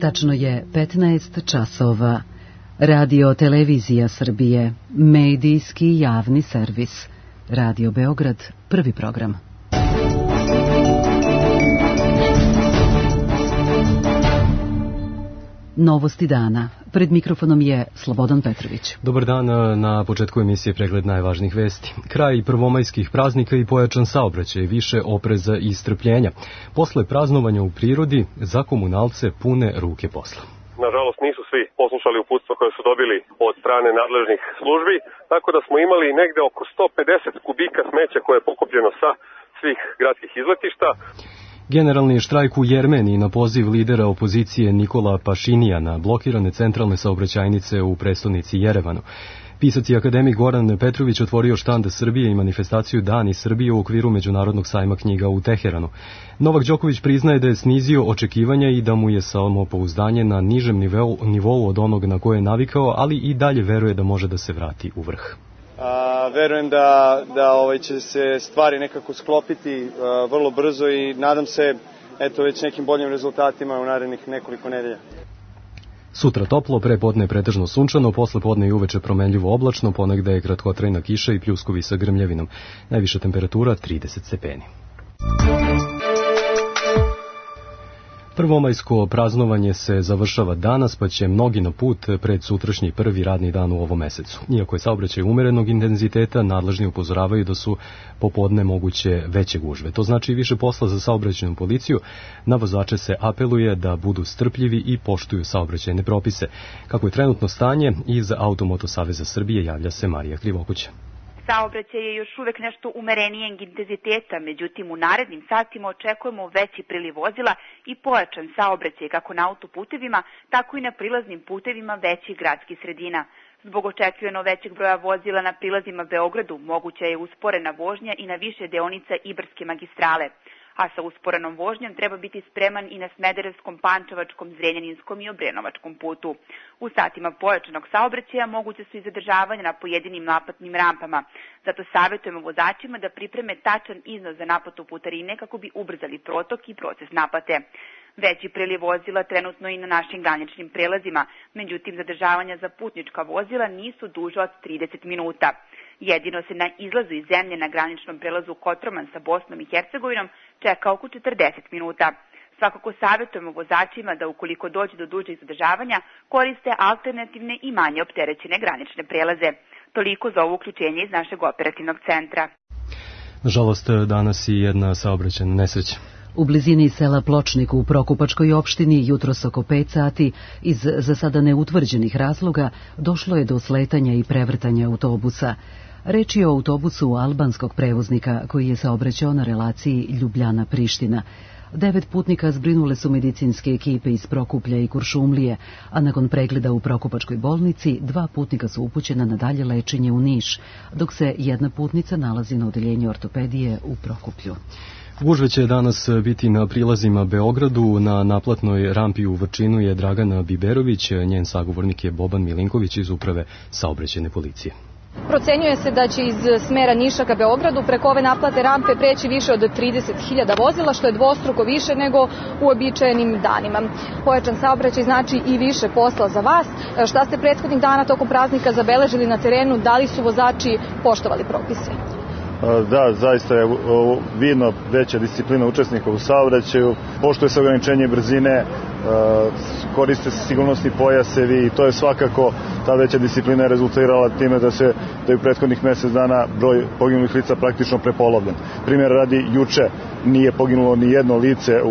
Tačno je 15 časova. Radio Televizija Srbije, medijski javni servis. Radio Beograd, prvi program. Novosti dana. Pred mikrofonom je Slobodan Petrović. Dobar dan, na početku emisije pregled najvažnijih vesti. Kraj prvomajskih praznika i pojačan saobraćaj, više opreza i strpljenja. Posle praznovanja u prirodi, za komunalce pune ruke posla. Nažalost, nisu svi poslušali uputstva koje su dobili od strane nadležnih službi, tako da smo imali negde oko 150 kubika smeća koje je pokupljeno sa svih gradskih izletišta. Generalni štrajk u Jermeniji na poziv lidera opozicije Nikola Pašinijana, blokirane centralne saobraćajnice u prestonici Jerevanu. Pisac i akademik Goran Petrović otvorio štand Srbije i manifestaciju Dani Srbije u okviru Međunarodnog sajma knjiga u Teheranu. Novak Đoković priznaje da je snizio očekivanja i da mu je samopouzdanje na nižem nivou od onog na koje je navikao, ali i dalje veruje da može da se vrati u vrh. Verujem da će se stvari nekako sklopiti vrlo brzo i nadam se već nekim boljim rezultatima u narednih nekoliko nedelja. Sutra toplo, pre podne pretežno sunčano, posle podne i uveče promenljivo oblačno, ponegde je kratkotrajna kiša i pljuskovi sa grmljavinom. Najviša temperatura 30 stepeni. Prvomajsko praznovanje se završava danas, pa će mnogi na put pred sutrašnji prvi radni dan u ovom mesecu. Iako je saobraćaj umerenog intenziteta, nadležni upozoravaju da su popodne moguće veće gužve. To znači više posla za saobraćajnu policiju. Na vozače se apeluje da budu strpljivi i poštuju saobraćajne propise. Kako je trenutno stanje, iz Automoto Saveza Srbije javlja se Marija Krivokuća. Saobraćaj je još uvek nešto umerenijeg intenziteta, međutim u narednim satima očekujemo veći priliv vozila i pojačan saobraćaj kako na autoputevima, tako i na prilaznim putevima većih gradskih sredina. Zbog očekivano većeg broja vozila na prilazima Beogradu moguća je usporena vožnja i na više deonica Ibarske magistrale. A sa usporenom vožnjom treba biti spreman i na Smederevskom, Pančevačkom, Zrenjaninskom i Obrenovačkom putu. U satima pojačanog saobraćaja moguće su i zadržavanja na pojedinim naplatnim rampama. Zato savjetujemo vozačima da pripreme tačan iznos za naplatu putarine kako bi ubrzali protok i proces naplate. Veći priliv vozila trenutno i na našim graničnim prelazima, međutim zadržavanja za putnička vozila nisu duža od 30 minuta. Jedino se na izlazu iz zemlje na graničnom prelazu Kotroman sa Bosnom i Hercegovinom čeka oko 40 minuta. Svakako savjetujemo vozačima da ukoliko dođe do dužeg zadržavanja koriste alternativne i manje opterećene granične prelaze. Toliko za ovo uključenje iz našeg operativnog centra. Nažalost, danas i jedna saobraćajna nesreća. U blizini sela Pločnik u Prokupačkoj opštini jutros oko 5 sati iz za sada neutvrđenih razloga došlo je do sletanja i prevrtanja autobusa. Reč je o autobusu albanskog prevoznika koji je saobraćao na relaciji Ljubljana-Priština. 9 putnika zbrinule su medicinske ekipe iz Prokuplja i Kuršumlije, a nakon pregleda u Prokupačkoj bolnici 2 putnika su upućena na dalje lečenje u Niš, dok se jedna putnica nalazi na odeljenju ortopedije u Prokuplju. Gužve će danas biti na prilazima Beogradu. Na naplatnoj rampi u Vrčinu je Dragana Biberović, njen sagovornik je Boban Milinković iz Uprave saobraćajne policije. Procenjuje se da će iz smera Niša ka Beogradu preko ove naplatne rampe preći više od 30.000 vozila, što je dvostruko više nego u uobičajenim danima. Pojačan saobraćaj znači i više posla za vas. Šta ste prethodnih dana tokom praznika zabeležili na terenu? Da li su vozači poštovali propise? Da, zaista je vidno veća disciplina učesnika u saobraćaju, poštuje se ograničenje brzine, koriste se sigurnosni pojasevi i to je svakako, ta veća disciplina je rezultirala time da je u prethodnih mjesec dana broj poginulih lica praktično prepolovljen. Primjer radi, juče nije poginulo ni jedno lice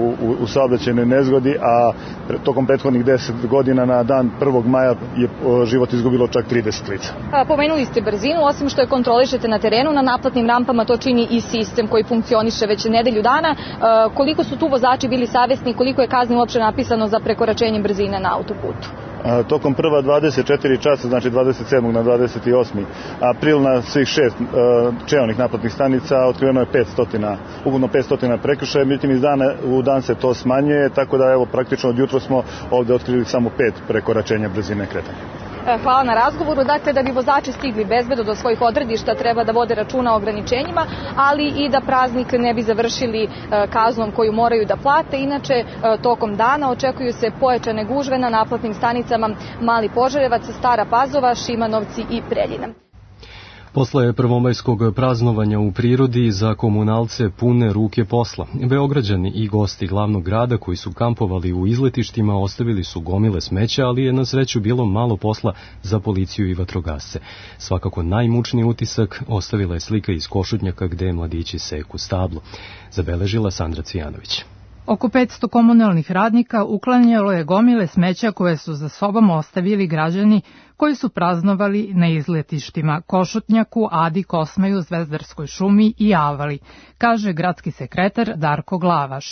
u saobraćajnoj nezgodi, a tokom prethodnih 10 godina na dan 1. maja je život izgubilo čak 30 lica. Pomenuli ste brzinu, osim što je kontrolišete na terenu, na naplatnim rampama to čini i sistem koji funkcioniše već nedelju dana. Koliko su tu vozači bili savjesni, koliko je kazni uopće napisano za prekoračenje brzine na autoputu? Tokom prva 24 časa, znači 27. na 28. april na svih 6 čeonih naplatnih stanica otkriveno je 500, ukupno 500 prekršaja, međutim iz dana u dan se to smanjuje, tako da evo praktično od jutra smo ovdje otkrili samo 5 prekoračenja brzine kretanja. Hvala na razgovoru. Dakle, da bi vozači stigli bezbedno do svojih odredišta treba da vode računa o ograničenjima, ali i da praznik ne bi završili kaznom koju moraju da plate. Inače, tokom dana očekuju se pojačane gužve na naplatnim stanicama Mali Požarevac, Stara Pazova, Šimanovci i Preljina. Posle prvomajskog praznovanja u prirodi za komunalce pune ruke posla. Beograđani i gosti glavnog grada koji su kampovali u izletištima ostavili su gomile smeća, ali je na sreću bilo malo posla za policiju i vatrogasce. Svakako najmučniji utisak ostavila je slika iz Košutnjaka gde mladići seku stablo. Zabeležila Sandra Cvijanović. Oko 500 komunalnih radnika uklanjalo je gomile smeća koje su za sobom ostavili građani koji su praznovali na izletištima Košutnjaku, Adi, Kosmaju, Zvezdarskoj šumi i Avali, kaže gradski sekretar Darko Glavaš.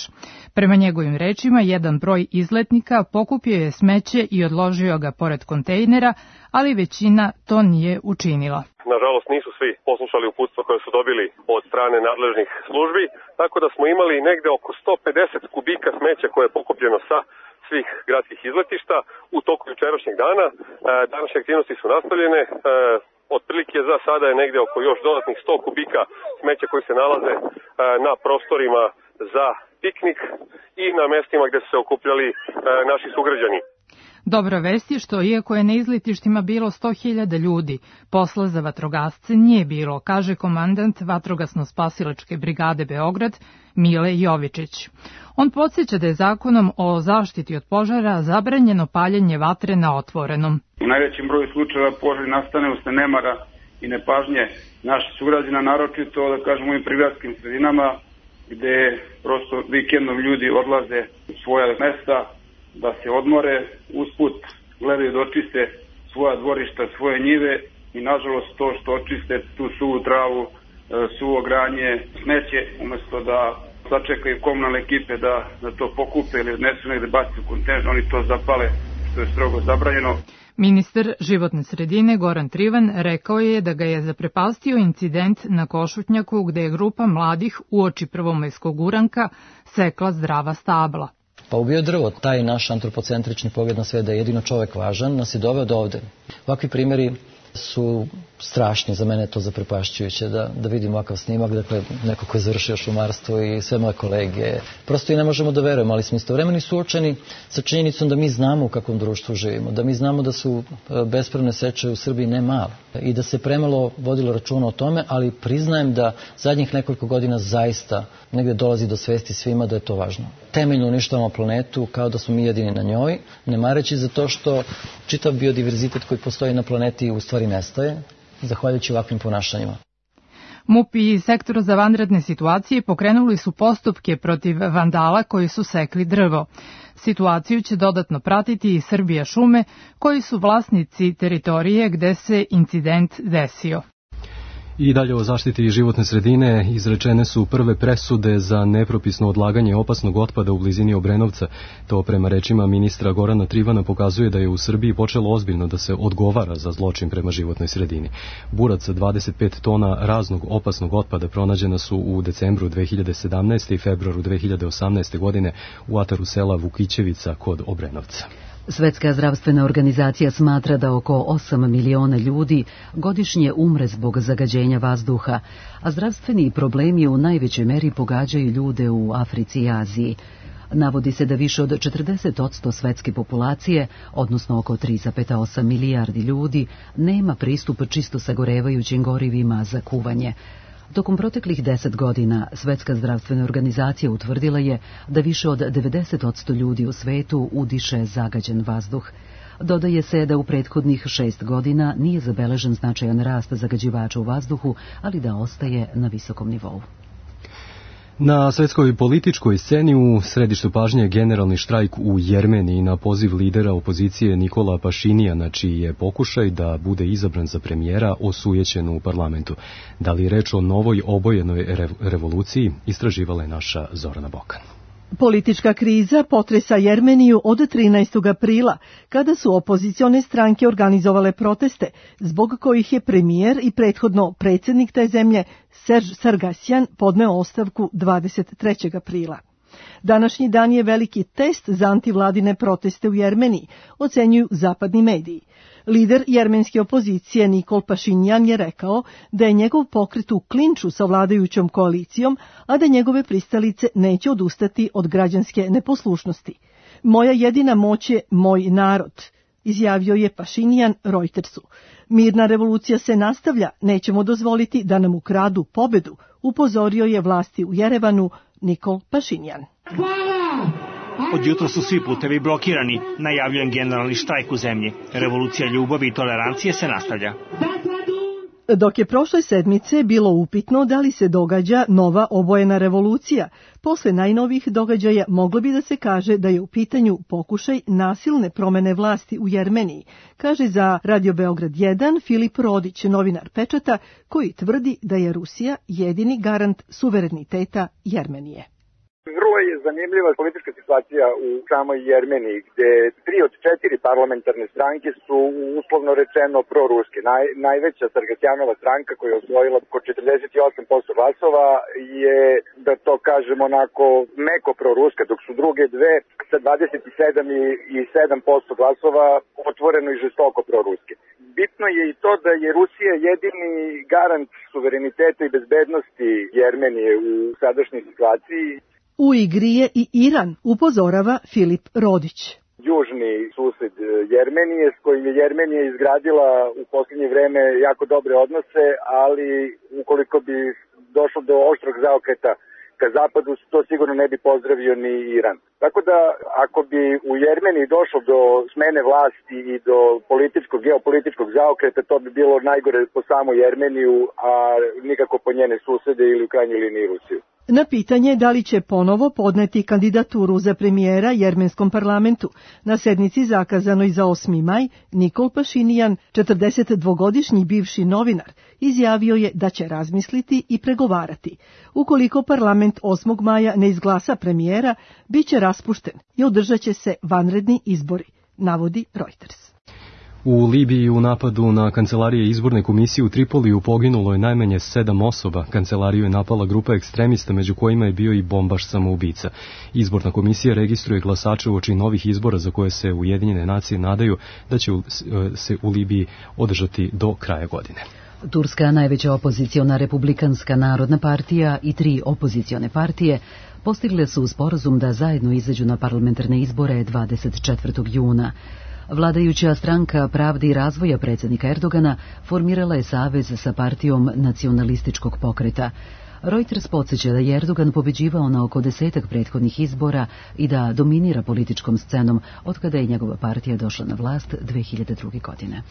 Prema njegovim rečima, jedan broj izletnika pokupio je smeće i odložio ga pored kontejnera, ali većina to nije učinila. Nažalost, nisu svi poslušali uputstva koje su dobili od strane nadležnih službi, tako da smo imali negde oko 150 kubika smeća koje je pokupljeno sa svih gradskih izletišta u toku jučerašnjeg dana. Današnje aktivnosti su nastavljene. Otprilike za sada je negde oko još dodatnih 100 kubika smeća koji se nalaze na prostorima za piknik i na mestima gde su se okupljali naši sugrađani. Dobra vest je što, iako je na izletištima bilo 100.000 ljudi, posla za vatrogasce nije bilo, kaže komandant Vatrogasno-spasilačke brigade Beograd Mile Jovičić. On podsjeća da je zakonom o zaštiti od požara zabranjeno paljenje vatre na otvorenom. U najvećem broju slučajeva požari nastane usled nemara i nepažnje naših sugrađana, naročito da kažemo u ovim prigradskim sredinama gde prosto vikendom ljudi odlaze u svoja mesta da se odmore, usput gledaju da očiste svoja dvorišta, svoje njive i nažalost to što očiste tu suvu travu, suvo granje, smeće, umesto da sačekaju komunalne ekipe da to pokupe ili odnesu negde baci u kontejner, oni to zapale, što je strogo zabranjeno. Ministar životne sredine Goran Trivan rekao je da ga je zaprepastio incident na Košutnjaku gde je grupa mladih uoči prvomajskog uranka sekla zdrava stabla. Pa ubio drvo, taj naš antropocentrični pogled na sve da je jedino čovek važan, nas je doveo do ovde. Ovakvi primjeri su strašni, za mene je to zaprepašćujuće da vidim ovakav snimak, dakle neko ko je završio šumarstvo i sve moje kolege. Prosto i ne možemo da verujemo, ali smo istovremeno suočeni sa činjenicom da mi znamo u kakvom društvu živimo, da mi znamo da su bespravne seče u Srbiji ne male i da se premalo vodilo računa o tome, ali priznajem da zadnjih nekoliko godina zaista negde dolazi do svesti svima da je to važno. Temeljno uništavamo planetu kao da smo mi jedini na njoj, ne mareći za to što čitav biodiverzitet koji postoji na planeti u stvari nestaje, zahvaljujući ovakvim ponašanjima. MUP i Sektor za vanredne situacije pokrenuli su postupke protiv vandala koji su sekli drvo. Situaciju će dodatno pratiti i Srbija šume, koji su vlasnici teritorije gde se incident desio. I dalje o zaštiti životne sredine izrečene su prve presude za nepropisno odlaganje opasnog otpada u blizini Obrenovca. To prema rečima ministra Gorana Trivana pokazuje da je u Srbiji počelo ozbiljno da se odgovara za zločin prema životnoj sredini. Burac 25 tona raznog opasnog otpada pronađena su u decembru 2017. i februaru 2018. godine u ataru sela Vukićevica kod Obrenovca. Svetska zdravstvena organizacija smatra da oko 8 miliona ljudi godišnje umre zbog zagađenja vazduha, a zdravstveni problemi u najvećoj meri pogađaju ljude u Africi i Aziji. Navodi se da više od 40% svetske populacije, odnosno oko 3,8 milijardi ljudi, nema pristup čisto sagorevajućim gorivima za kuvanje. Tokom proteklih 10 godina Svetska zdravstvena organizacija utvrdila je da više od 90% ljudi u svetu udiše zagađen vazduh. Dodaje se da u prethodnih 6 godina nije zabeležen značajan rast zagađivača u vazduhu, ali da ostaje na visokom nivou. Na svetskoj političkoj sceni u središtu pažnje generalni štrajk u Jermeniji na poziv lidera opozicije Nikola Pašinijana, čiji je pokušaj da bude izabran za premijera osujećen u parlamentu. Da li je reč o novoj obojenoj revoluciji, istraživala je naša Zorana Bokan. Politička kriza potresa Jermeniju od 13. aprila, kada su opozicione stranke organizovale proteste, zbog kojih je premijer i prethodno predsjednik te zemlje, Serž Sargasjan, podneo ostavku 23. aprila. Današnji dan je veliki test za antivladine proteste u Jermeniji, ocenjuju zapadni mediji. Lider jermenske opozicije Nikol Pašinjan je rekao da je njegov pokret u klinču sa vladajućom koalicijom, a da njegove pristalice neće odustati od građanske neposlušnosti. Moja jedina moć je moj narod, izjavio je Pašinjan Reutersu. Mirna revolucija se nastavlja, nećemo dozvoliti da nam ukradu pobedu, upozorio je vlasti u Jerevanu Nikol Pašinjan. Od jutra su svi putevi blokirani, najavljujem generalni štrajk u zemlji. Revolucija ljubavi i tolerancije se nastavlja. Dok je prošle sedmice bilo upitno da li se događa nova obojena revolucija, posle najnovijih događaja moglo bi da se kaže da je u pitanju pokušaj nasilne promene vlasti u Jermeniji, kaže za Radio Beograd 1 Filip Rodić, novinar Pečata, koji tvrdi da je Rusija jedini garant suvereniteta Jermenije. Vrlo je zanimljiva politička situacija u samoj Jermeniji, gde 3 od 4 parlamentarne stranke su uslovno rečeno proruske. Najveća Sargatjanova stranka koja je osvojila oko 48% glasova je, da to kažemo onako, meko proruska, dok su druge dve sa 27 i 7% glasova otvoreno i žestoko proruske. Bitno je i to da je Rusija jedini garant suvereniteta i bezbednosti Jermenije u sadašnjoj situaciji. U igri je i Iran, upozorava Filip Rodić. Južni sused Jermenije, s kojim je Jermenija izgradila u posljednje vreme jako dobre odnose, ali ukoliko bi došlo do oštrog zaokreta ka zapadu, to sigurno ne bi pozdravio ni Iran. Tako da, ako bi u Jermeniji došlo do smene vlasti i do geopolitičkog zaokreta, to bi bilo najgore po samu Jermeniju, a nikako po njene susede ili u krajnjoj liniji Rusiju. Na pitanje da li će ponovo podneti kandidaturu za premijera jermenskom parlamentu na sednici zakazanoj za 8. maj, Nikol Pašinjan, 42-godišnji bivši novinar, izjavio je da će razmisliti i pregovarati. Ukoliko parlament 8. maja ne izglasa premijera, bit će raspušten i održat će se vanredni izbori, navodi Reuters. U Libiji u napadu na kancelarije izborne komisije u Tripoliju poginulo je najmanje 7 osoba. Kancelariju je napala grupa ekstremista, među kojima je bio i bombaš samoubica. Izborna komisija registruje glasače uoči novih izbora za koje se Ujedinjene nacije nadaju da će se u Libiji održati do kraja godine. Turska, najveća opoziciona Republikanska narodna partija i 3 opozicione partije postigle su sporazum da zajedno izađu na parlamentarne izbore 24. juna. Vladajuća stranka Pravde i razvoja predsjednika Erdogana formirala je savez sa partijom nacionalističkog pokreta. Reuters podsjeća da je Erdogan pobeđivao na oko 10 prethodnih izbora i da dominira političkom scenom otkada je njegova partija došla na vlast 2002. godine.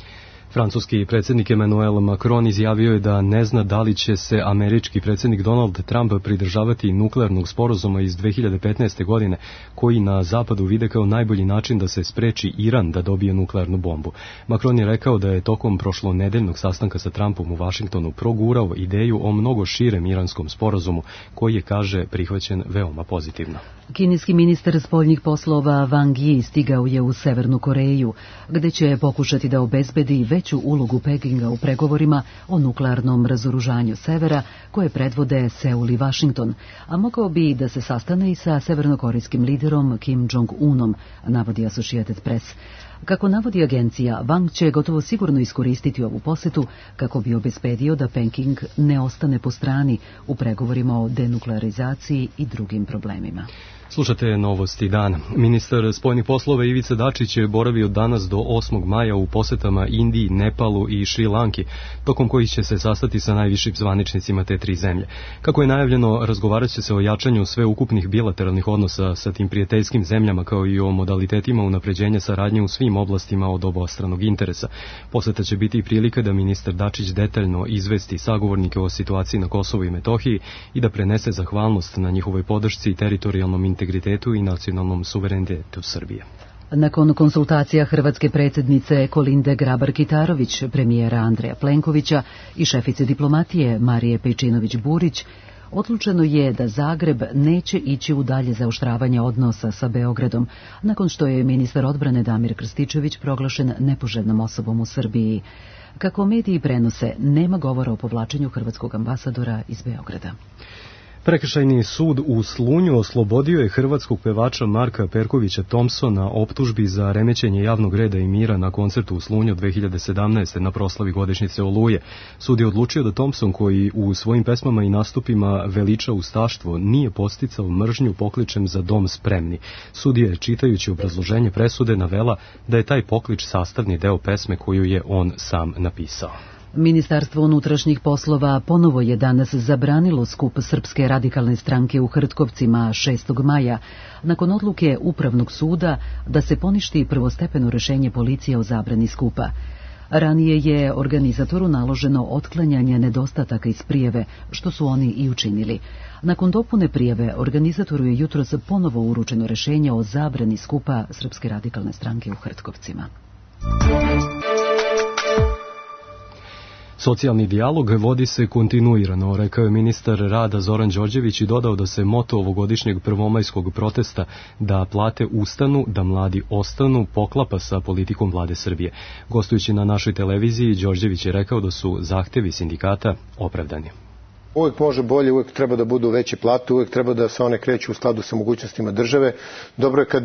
Francuski predsjednik Emmanuel Macron izjavio je da ne zna da li će se američki predsjednik Donald Trump pridržavati nuklearnog sporazuma iz 2015. godine, koji na zapadu vide kao najbolji način da se spreči Iran da dobije nuklearnu bombu. Macron je rekao da je tokom prošlonedeljnog sastanka sa Trumpom u Vašingtonu progurao ideju o mnogo širem iranskom sporazumu, koji je, kaže, prihvaćen veoma pozitivno. Kineski ministar spoljnih poslova Wang Yi stigao je u Severnu Koreju, gde će pokušati da obezbedi veću ulogu Pekinga u pregovorima o nuklearnom razoružanju severa koje predvode Seul i Washington, a mogao bi da se sastane i sa severnokorejskim liderom Kim Jong-unom, navodi Associated Press. Kako navodi agencija, Wang će gotovo sigurno iskoristiti ovu posetu kako bi obezbedio da Peking ne ostane po strani u pregovorima o denuklearizaciji i drugim problemima. Slušate novosti dana. Ministar spoljnih poslova Ivica Dačić je boravio danas do 8. maja u posetama Indiji, Nepalu i Šri Lanki, tokom kojih će se sastati sa najvišim zvaničnicima te 3 zemlje. Kako je najavljeno, razgovarat će se o jačanju sveukupnih bilateralnih odnosa sa tim prijateljskim zemljama, kao i o modalitetima unapređenja saradnje u svim oblastima od obostranog interesa. Poseta će biti i prilika da ministar Dačić detaljno izvesti sagovornike o situaciji na Kosovu i Metohiji i da prenese zahvalnost na njihovoj podršci i teritorijalnom integritetu i nacionalnom suverenitetu Srbije. Nakon konsultacija hrvatske predsjednice Kolinde Grabar-Kitarović, premijera Andreja Plenkovića i šefice diplomatije Marije Pejčinović-Burić, odlučeno je da Zagreb neće ići u dalje zaoštravanje odnosa sa Beogradom, nakon što je ministar odbrane Damir Krstičević proglašen nepoželjnom osobom u Srbiji. Kako mediji prenose, nema govora o povlačenju hrvatskog ambasadora iz Beograda. Prekršajni sud u Slunju oslobodio je hrvatskog pevača Marka Perkovića Thompsona optužbi za remećenje javnog reda i mira na koncertu u Slunju 2017. na proslavi godišnjice Oluje. Sud je odlučio da Thompson, koji u svojim pesmama i nastupima veliča ustaštvo, nije podsticao mržnju pokličem za dom spremni. Sudija je, čitajući obrazloženje presude, navela da je taj poklič sastavni deo pesme koju je on sam napisao. Ministarstvo unutrašnjih poslova ponovo je danas zabranilo skup Srpske radikalne stranke u Hrtkovcima 6. maja, nakon odluke Upravnog suda da se poništi prvostepeno rešenje policije o zabrani skupa. Ranije je organizatoru naloženo otklanjanje nedostataka iz prijave, što su oni i učinili. Nakon dopune prijave, organizatoru je jutros ponovo uručeno rešenje o zabrani skupa Srpske radikalne stranke u Hrtkovcima. Socijalni dijalog vodi se kontinuirano, rekao je ministar rada Zoran Đorđević i dodao da se moto ovogodišnjeg prvomajskog protesta da plate ustanu, da mladi ostanu poklapa sa politikom vlade Srbije. Gostujući na našoj televiziji, Đorđević je rekao da su zahtevi sindikata opravdani. Uvijek može bolje, uvijek treba da budu veće plate, uvijek treba da se one kreću u skladu sa mogućnostima države. Dobro je kad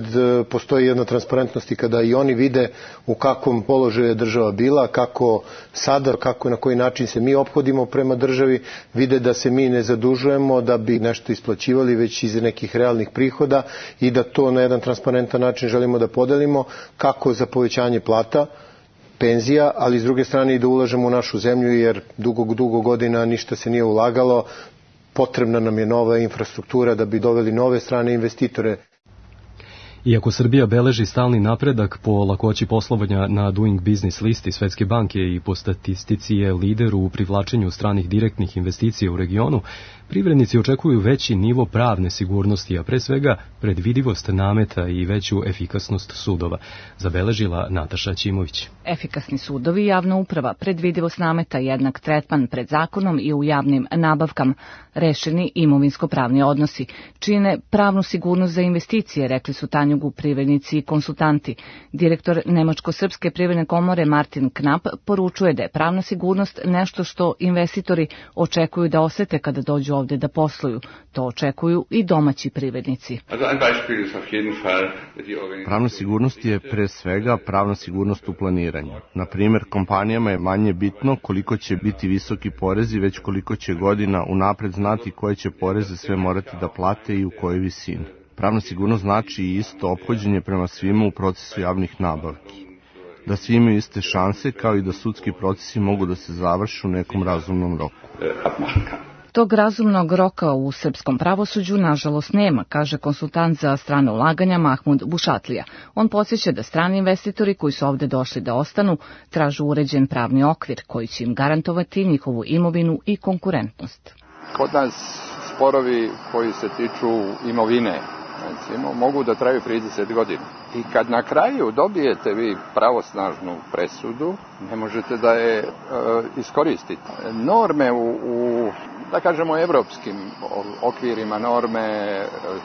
postoji jedna transparentnost i kada i oni vide u kakvom položaju je država bila, kako sada, kako i na koji način se mi ophodimo prema državi, vide da se mi ne zadužujemo da bi nešto isplaćivali već iz nekih realnih prihoda i da to na jedan transparentan način želimo da podelimo, kako za povećanje plata, penzija, ali s druge strane i da ulažemo u našu zemlju, jer dugo godina ništa se nije ulagalo. Potrebna nam je nova infrastruktura da bi doveli nove strane investitore. Iako Srbija beleži stalni napredak po lakoći poslovanja na Doing Business listi Svetske banke i po statistici je lider u privlačenju stranih direktnih investicija u regionu, privrednici očekuju veći nivo pravne sigurnosti, a pre svega predvidivost nameta i veću efikasnost sudova, zabeležila Nataša Ćimović. Efikasni sudovi, javna uprava, predvidivost nameta, jednak tretman pred zakonom i u javnim nabavkama, rešeni imovinsko-pravni odnosi, čine pravnu sigurnost za investicije, rekli su Tanjugu privrednici i konsultanti. Direktor Nemačko-srpske privredne komore Martin Knap poručuje da je pravna sigurnost nešto što investitori očekuju da osete kada dođu ovde da posluju. To očekuju i domaći privrednici. Pravna sigurnost je pre svega pravna sigurnost u planiranju. Na primjer, kompanijama je manje bitno koliko će biti visoki porezi, već koliko će godina unapred znati koje će poreze sve morati da plate i u kojoj visini. Pravna sigurnost znači i isto ophođenje prema svima u procesu javnih nabavki. Da svi imaju iste šanse, kao i da sudski procesi mogu da se završe u nekom razumnom roku. Tog razumnog roka u srpskom pravosuđu nažalost nema, kaže konsultant za strane ulaganja Mahmud Bušatlija. On podsjeća da strani investitori koji su ovde došli da ostanu tražu uređen pravni okvir koji će im garantovati njihovu imovinu i konkurentnost. Kod nas sporovi koji se tiču imovine, recimo, mogu da traju 30 godina. I kad na kraju dobijete vi pravosnažnu presudu, ne možete da je iskoristite. Norme u da kažemo, evropskim okvirima, norme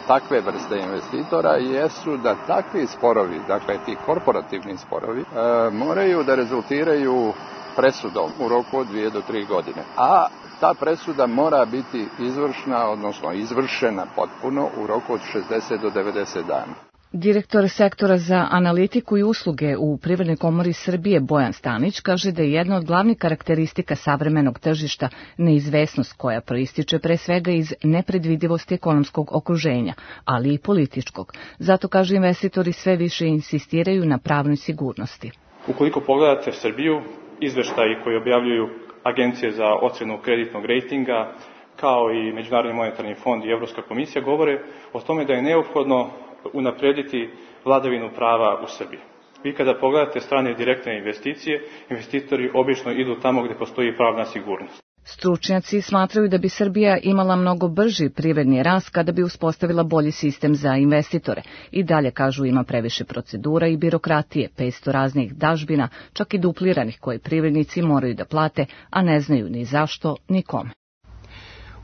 takve vrste investitora jesu da takvi sporovi, dakle ti korporativni sporovi, moraju da rezultiraju presudom u roku od 2 do 3 godine. A ta presuda mora biti izvršna, odnosno izvršena potpuno u roku od 60 do 90 dana. Direktor sektora za analitiku i usluge u Privrednoj komori Srbije Bojan Stanić kaže da je jedna od glavnih karakteristika savremenog tržišta neizvesnost koja proističe pre svega iz nepredvidivosti ekonomskog okruženja, ali i političkog. Zato, kaže, investitori sve više insistiraju na pravnoj sigurnosti. Ukoliko pogledate Srbiju, izveštaji koji objavljuju agencije za ocenu kreditnog rejtinga, kao i Međunarodni monetarni fond i Evropska komisija, govore o tome da je neophodno unaprediti vladavinu prava u Srbiji. Vi kada pogledate strane direktne investicije, investitori obično idu tamo gde postoji pravna sigurnost. Stručnjaci smatraju da bi Srbija imala mnogo brži privredni rast kada bi uspostavila bolji sistem za investitore. I dalje, kažu, ima previše procedura i birokratije, 500 raznih dažbina, čak i dupliranih koje privrednici moraju da plate, a ne znaju ni zašto, ni kome.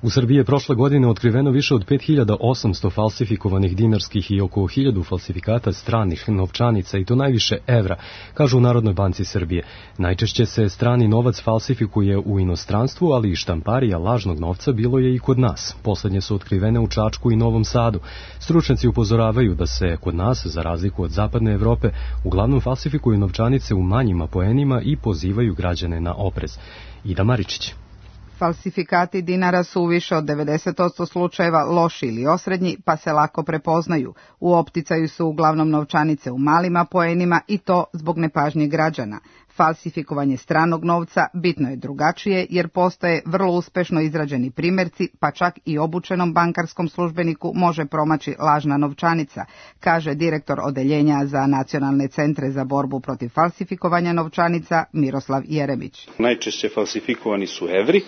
U Srbiji je prošle godine otkriveno više od 5800 falsifikovanih dinarskih i oko 1000 falsifikata stranih novčanica i to najviše evra, kažu u Narodnoj banci Srbije. Najčešće se strani novac falsifikuje u inostranstvu, ali i štamparija lažnog novca bilo je i kod nas. Poslednje su otkrivene u Čačku i Novom Sadu. Stručnjaci upozoravaju da se kod nas, za razliku od zapadne Evrope, uglavnom falsifikuju novčanice u manjim apoenima i pozivaju građane na oprez. Ida Maričić. Falsifikati dinara su u više od 90% slučajeva loši ili osrednji, pa se lako prepoznaju. U opticaju su uglavnom novčanice u malim apoenima i to zbog nepažnje građana. Falsifikovanje stranog novca bitno je drugačije jer postoje vrlo uspešno izrađeni primjerci, pa čak i obučenom bankarskom službeniku može promaći lažna novčanica, kaže direktor Odeljenja za nacionalne centre za borbu protiv falsifikovanja novčanica Miroslav Jeremić. Najčešće falsifikovani su evri.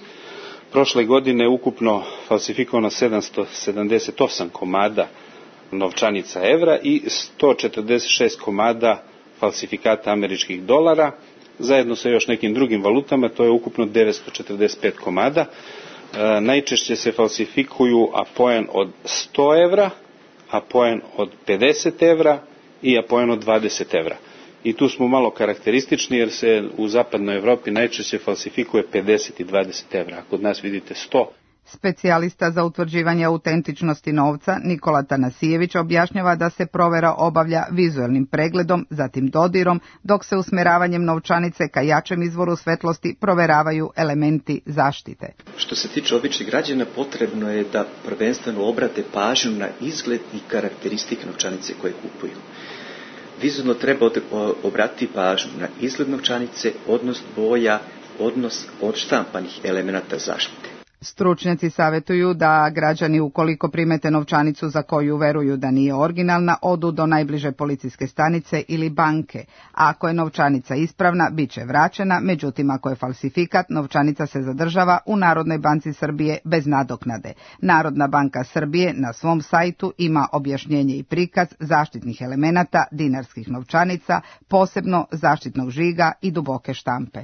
Prošle godine ukupno falsifikovano 778 komada novčanica evra i 146 komada falsifikata američkih dolara. Zajedno sa još nekim drugim valutama, to je ukupno 945 komada. Najčešće se falsifikuju apoen od 100 evra, apoen od 50 evra i apoen od 20 evra. I tu smo malo karakteristični jer se u zapadnoj Evropi najčešće falsifikuje 50 i 20 evra, a kod nas vidite 100. Specijalista za utvrđivanje autentičnosti novca Nikola Tanasijević objašnjava da se provera obavlja vizualnim pregledom, zatim dodirom, dok se usmeravanjem novčanice ka jačem izvoru svetlosti proveravaju elementi zaštite. Što se tiče običnih građana, potrebno je da prvenstveno obrate pažnju na izgled i karakteristike novčanice koje kupuju. Vizualno treba obratiti pažnju na izgled novčanice, odnos boja, odnos odštampanih elemenata zaštite. Stručnjaci savjetuju da građani ukoliko primete novčanicu za koju veruju da nije originalna, odu do najbliže policijske stanice ili banke. Ako je novčanica ispravna, bit će vraćena, međutim ako je falsifikat, novčanica se zadržava u Narodnoj banci Srbije bez nadoknade. Narodna banka Srbije na svom sajtu ima objašnjenje i prikaz zaštitnih elemenata dinarskih novčanica, posebno zaštitnog žiga i duboke štampe.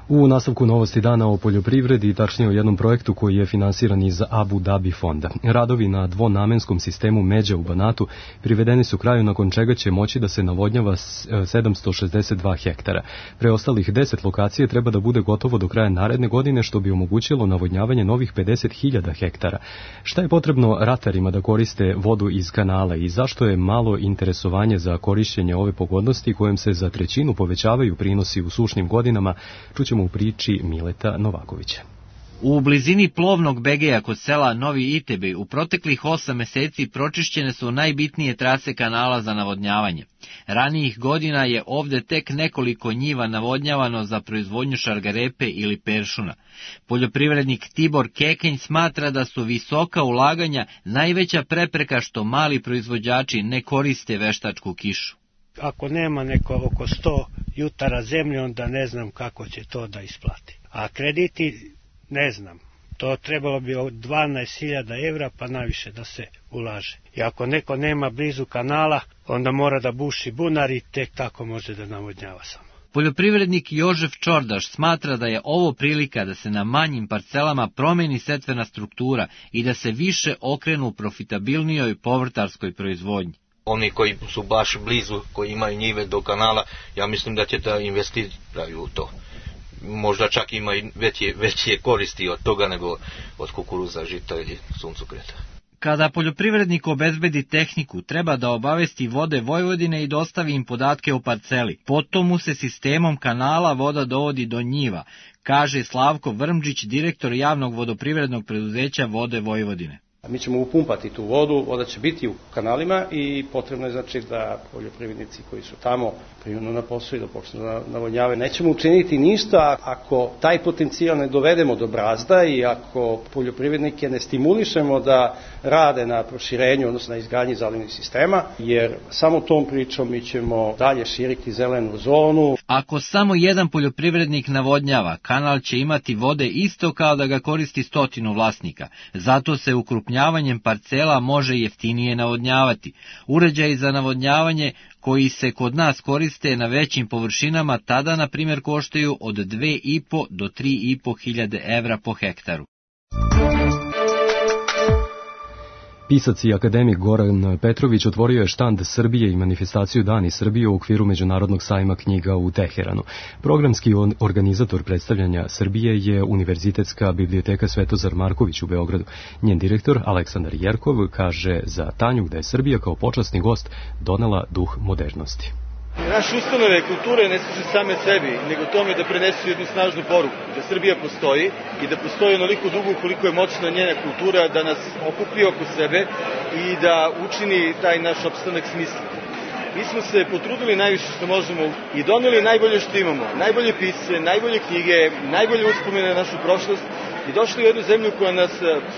U nastavku novosti dana o poljoprivredi i tačnije o jednom projektu koji je finansiran iz Abu Dhabi fonda. Radovi na dvonamenskom sistemu međa u Banatu privedeni su kraju nakon čega će moći da se navodnjava 762 hektara. Preostalih 10 lokacije treba da bude gotovo do kraja naredne godine što bi omogućilo navodnjavanje novih 50.000 hektara. Šta je potrebno ratarima da koriste vodu iz kanala i zašto je malo interesovanje za korišćenje ove pogodnosti kojem se za trećinu povećavaju prinosi u sušnim godinama, čućemo u priči Mileta Novakovića. U blizini plovnog Begeja kod sela Novi Itebi u proteklih 8 meseci pročišćene su najbitnije trase kanala za navodnjavanje. Ranijih godina je ovde tek nekoliko njiva navodnjavano za proizvodnju šargarepe ili peršuna. Poljoprivrednik Tibor Kekenj smatra da su visoka ulaganja najveća prepreka što mali proizvođači ne koriste veštačku kišu. Ako nema neko oko 100 jutara zemlje, onda ne znam kako će to da isplati. A krediti, ne znam, to trebalo bi od 12.000 evra pa naviše da se ulaže. I ako neko nema blizu kanala, onda mora da buši bunar i tek tako može da navodnjava samo. Poljoprivrednik Jožef Čordaš smatra da je ovo prilika da se na manjim parcelama promeni setvena struktura i da se više okrenu profitabilnijoj povrtarskoj proizvodnji. Oni koji su baš blizu, koji imaju njive do kanala, ja mislim da će da investiraju u to. Možda čak ima i veće koristi od toga nego od kukuruza, žita ili suncokreta. Kada poljoprivrednik obezbedi tehniku, treba da obavesti Vode Vojvodine i dostavi im podatke o parceli. Potom mu se sistemom kanala voda dovodi do njiva, kaže Slavko Vrmđić, direktor javnog vodoprivrednog preduzeća Vode Vojvodine. Mi ćemo upumpati tu vodu, voda će biti u kanalima i potrebno je znači da poljoprivrednici koji su tamo primjeno na posao i da počnu da navodnjavaju. Nećemo učiniti ništa ako taj potencijal ne dovedemo do brazda i ako poljoprivrednike ne stimulišemo da rade na proširenju, odnosno na izgradnji zalivnih sistema, jer samo tom pričom mi ćemo dalje širiti zelenu zonu. Ako samo jedan poljoprivrednik navodnjava, kanal će imati vode isto kao da ga koristi 100 vlasnika. Zato se ukrupnjavanjem parcela može jeftinije navodnjavati. Uređaji za navodnjavanje koji se kod nas koriste na većim površinama tada, na primjer, koštaju od 2.500 do 3.500 evra po hektaru. Pisac i akademik Goran Petrović otvorio je štand Srbije i manifestaciju Dani Srbije u okviru Međunarodnog sajma knjiga u Teheranu. Programski organizator predstavljanja Srbije je Univerzitetska biblioteka Svetozar Marković u Beogradu. Njen direktor Aleksandar Jerkov kaže za Tanju da je Srbija kao počasni gost donela duh modernosti. Naše ustanove kulture ne služe same sebi, nego tome da prenesu jednu snažnu poruku, da Srbija postoji i da postoji onoliko dugo koliko je moćna njena kultura da nas okupi oko sebe i da učini taj naš opstanak smislen. Mi smo se potrudili najviše što možemo i doneli najbolje što imamo, najbolje pisce, najbolje knjige, najbolje uspomene na našu prošlost i došli u jednu zemlju koja nas,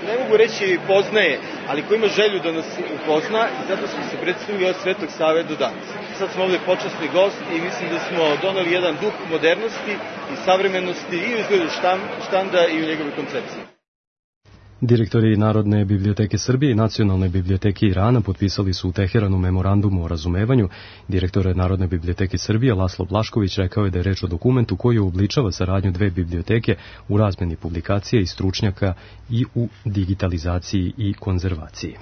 ne mogu reći poznaje, ali koja ima želju da nas upozna i zato smo se predstavili od Svetog Save do danas. Sad smo ovdje počasni gost i mislim da smo doneli jedan duh modernosti i savremenosti i u izgledu štanda i u njegove koncepcije. Direktori Narodne biblioteke Srbije i Nacionalne biblioteke Irana potpisali su u Teheranu memorandum o razumevanju. Direktor Narodne biblioteke Srbije Laslo Blašković rekao je da je reč o dokumentu koji obličava saradnju dve biblioteke u razmeni publikacija i stručnjaka i u digitalizaciji i konzervaciji.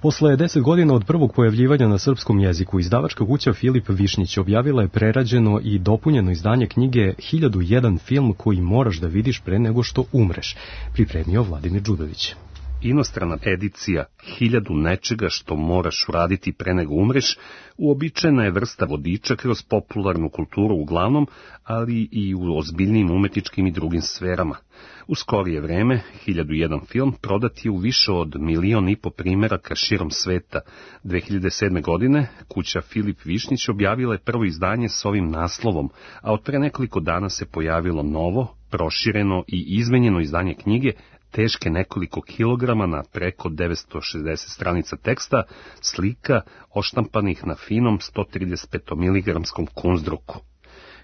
Posle 10 godina od prvog pojavljivanja na srpskom jeziku, izdavačka kuća Filip Višnjić objavila je prerađeno i dopunjeno izdanje knjige 1001 film koji moraš da vidiš pre nego što umreš, pripremio Vladimir Đudović. Inostrana edicija 1000 nečega što moraš uraditi pre nego umreš uobičajena je vrsta vodiča kroz popularnu kulturu uglavnom, ali i u ozbiljnim umetničkim i drugim sferama. U skorije vreme 1001 film prodat je u više od 1,5 miliona primeraka širom sveta. 2007. godine kuća Filip Višnjić objavila je prvo izdanje s ovim naslovom, a od pre nekoliko dana se pojavilo novo, prošireno i izmenjeno izdanje knjige teške nekoliko kilograma na preko 960 stranica teksta, slika oštampanih na finom 135 mg kunzdruku.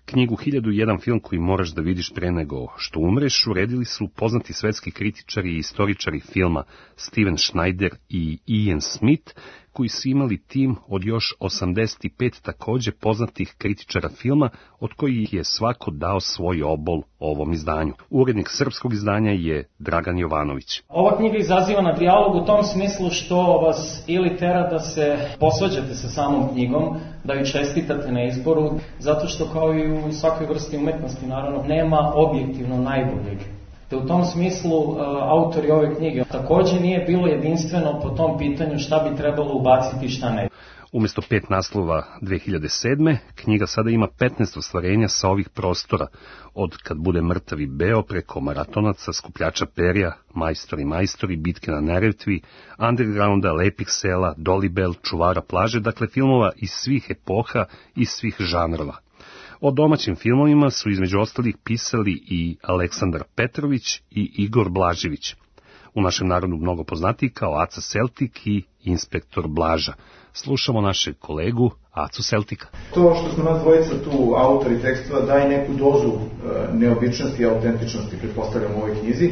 Knjigu 1001 film koji moraš da vidiš pre nego što umreš uredili su poznati svetski kritičari i istoričari filma Steven Schneider i Ian Smith, koji su imali tim od još 85 takođe poznatih kritičara filma, od kojih je svako dao svoj obol ovom izdanju. Urednik srpskog izdanja je Dragan Jovanović. Ova knjiga izaziva na dijalog u tom smislu što vas ili tera da se posvađate sa samom knjigom, da ju čestitate na izboru, zato što kao i u svakoj vrsti umetnosti, naravno, nema objektivno najboljeg. Te u tom smislu autori ove knjige takođe nije bilo jedinstveno po tom pitanju šta bi trebalo ubaciti i šta ne. Umesto 5 naslova 2007. knjiga sada ima 15 ostvarenja sa ovih prostora, od Kad bude mrtav i beo preko Maratonaca, Skupljača perja, Majstori, Bitke na Neretvi, Undergrounda, Lepih sela, Dolibel, Čuvara plaže, dakle filmova iz svih epoha i svih žanrova. O domaćim filmovima su između ostalih pisali i Aleksandar Petrović i Igor Blažević. U našem narodu mnogo poznatiji kao Aca Seltik i Inspektor Blaža. Slušamo našeg kolegu Acu Seltika. To što smo nas dvojica tu autori tekstova daje neku dozu neobičnosti i autentičnosti, pretpostavljam, u ovoj knjizi.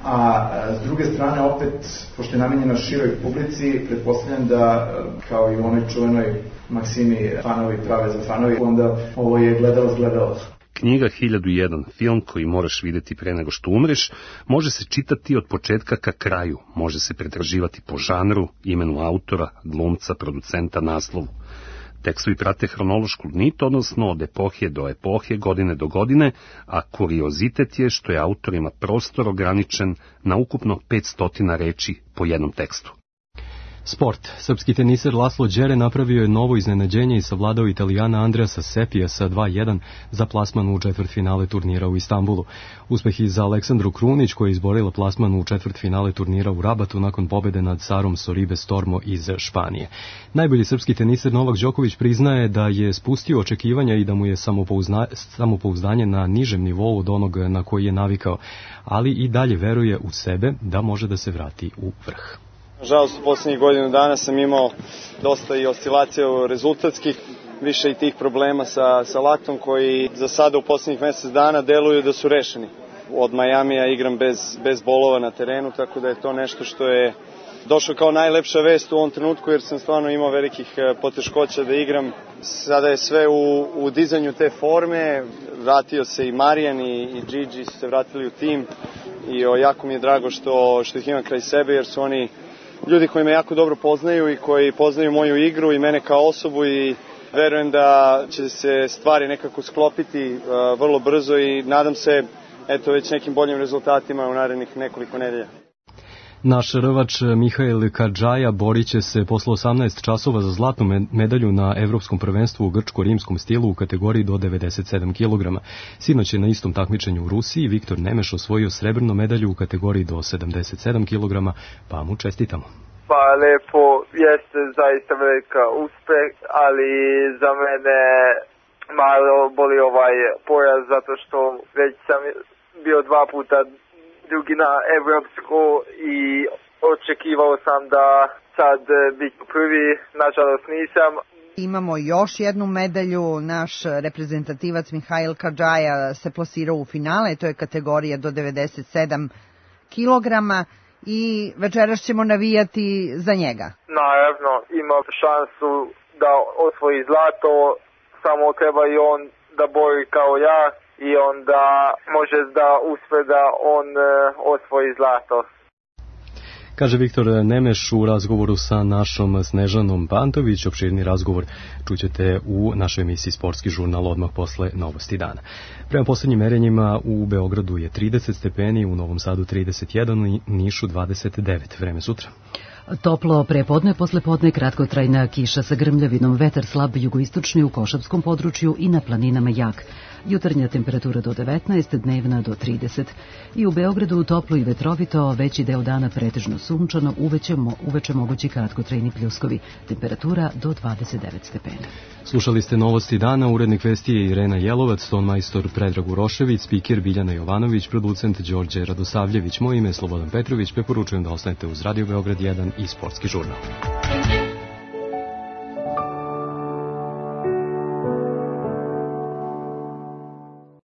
A s druge strane, opet, pošto je namenjena široj publici, pretpostavljam da, kao i u onoj čuvenoj maksimi fanovi prave za fanovi, onda ovo je gledalac. Knjiga 1001 film koji moraš videti pre nego što umreš može se čitati od početka ka kraju, može se pretraživati po žanru, imenu autora, glumca, producenta, naslovu. Tekstovi prate hronološku nit, odnosno od epohe do epohe, godine do godine, a kuriozitet je što je autorima prostor ograničen na ukupno 500 reči po jednom tekstu. Sport. Srpski teniser Laslo Đere napravio je novo iznenađenje i savladao Italijana Andreasa Sepija sa 2:1 za plasman u četvrtfinale turnira u Istanbulu. Uspeh i za Aleksandru Krunić koja je izborila plasman u četvrtfinale turnira u Rabatu nakon pobede nad Sarom Soribe Stormo iz Španije. Najbolji srpski teniser Novak Đoković priznaje da je spustio očekivanja i da mu je samopouzdanje na nižem nivou od onog na koji je navikao, ali i dalje veruje u sebe da može da se vrati u vrh. Nažalost, u poslednjih godinu dana sam imao dosta i oscilacija rezultatskih, više i tih problema sa laktom koji za sada u poslednjih mesec dana deluju da su rešeni. Od Majamija igram bez bolova na terenu, tako da je to nešto što je došao kao najlepša vest u ovom trenutku jer sam stvarno imao velikih poteškoća da igram. Sada je sve u dizanju te forme, vratio se i Marijan i Gigi su se vratili u tim i jako mi je drago što ih imam kraj sebe jer su oni ljudi koji me jako dobro poznaju i koji poznaju moju igru i mene kao osobu i verujem da će se stvari nekako sklopiti vrlo brzo i nadam se već nekim boljim rezultatima u narednih nekoliko nedelja. Naš rvač Mihail Kadžaja borit će se posle 18 časova za zlatnu medalju na Evropskom prvenstvu u grčko-rimskom stilu u kategoriji do 97 kg. Sinoć je na istom takmičenju u Rusiji Viktor Nemeš osvojio srebrnu medalju u kategoriji do 77 kg, pa mu čestitamo. Pa lepo, jeste zaista velika uspeh, ali za mene malo boli ovaj poraz zato što već sam bio 2 puta drugi na evropsku i očekivao sam da sad bit prvi, nažalost nisam. Imamo još jednu medalju, naš reprezentativac Mihail Kadžaja se plasirao u finale, to je kategorija do 97 kilograma. I večeras ćemo navijati za njega. Naravno, ima šansu da osvoji zlato, samo treba i on da bori kao ja i onda može da uspe da on osvoji zlato. Kaže Viktor Nemeš u razgovoru sa našom Snežanom Pantović. Opširni razgovor čućete u našoj emisiji Sportski žurnal odmah posle novosti dana. Prema poslednjim merenjima u Beogradu je 30 stepeni, u Novom Sadu 31, u Nišu 29. Vreme sutra. Toplo prepodne, poslepodne kratkotrajna kiša sa grmljavinom, vetar slab jugoistočni u Košavskom području i na planinama jak. Jutarnja temperatura do 19, dnevna do 30. I u Beogradu toplo i vetrovito, veći deo dana pretežno sunčano, uveče mogući kratkotrajni pljuskovi. Temperatura do 29 stepena. Slušali ste novosti dana, urednik vesti je Irena Jelovac, tonmajstor Predrag Urošević, spiker Biljana Jovanović, producent Đorđe Radosavljević. Moje ime je Slobodan Petrović, preporučujem da ostanete uz Radio Beograd 1 i Sportski žurnal.